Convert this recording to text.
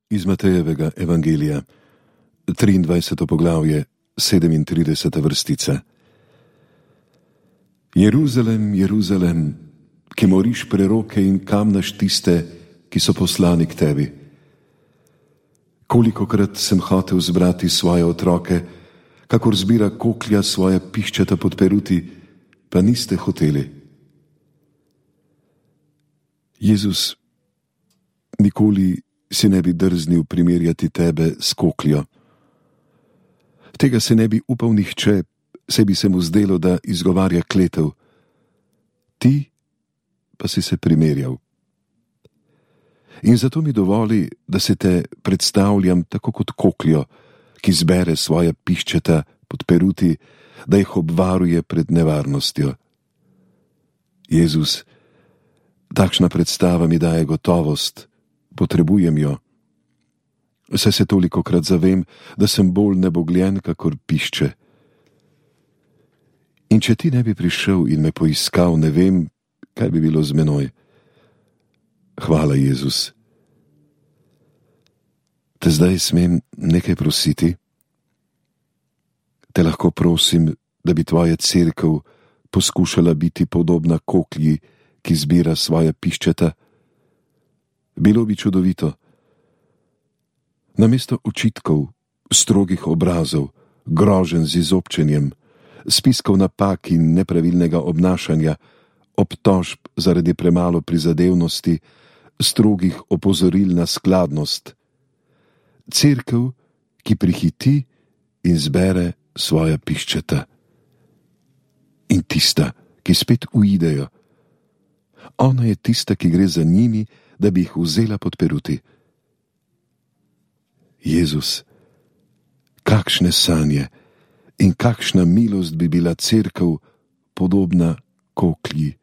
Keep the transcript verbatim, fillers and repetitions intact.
Iz Matejevega evangelija, triindvajseto poglavje, sedemintrideseta vrstica. Jeruzalem, Jeruzalem, ki moriš preroke in kamnaš tiste, ki so poslani k tebi. Kolikokrat sem hotel zbrati svoje otroke, kakor zbira koklja svoje piščeta pod peruti, pa niste hoteli. Jezus, nikoli si ne bi drznil primerjati tebe s kokljo. Tega se ne bi upal nihče, se bi se mu zdelo, da izgovarja kletev. Ti pa si se primerjal. In zato mi dovoli, da se te predstavljam tako kot kokljo, ki zbere svoja piščeta pod peruti, da jih obvaruje pred nevarnostjo. Jezus, takšna predstava mi daje gotovost, potrebujem jo. Saj se tolikokrat zavem, da sem bolj nebogljen, kakor pišče. In če ti ne bi prišel in me poiskal, ne vem, kaj bi bilo z menoj. Hvala, Jezus. Te zdaj smem nekaj prositi? Te lahko prosim, da bi tvoja cerkev poskušala biti podobna koklji, ki zbira svoja piščeta? Bilo bi čudovito. Namesto očitkov, strogih obrazov, groženj z izobčenjem, spiskov napak in nepravilnega obnašanja, obtožb zaradi premalo prizadevnosti, strogih opozoril na skladnost. Cerkev, ki prihiti in zbere svoja piščeta. In tista, ki spet uidejo. Ona je tista, ki gre za njimi, da bi jih vzela pod peruti. Jezus, kakšne sanje in kakšna milost bi bila cerkev podobna koklji.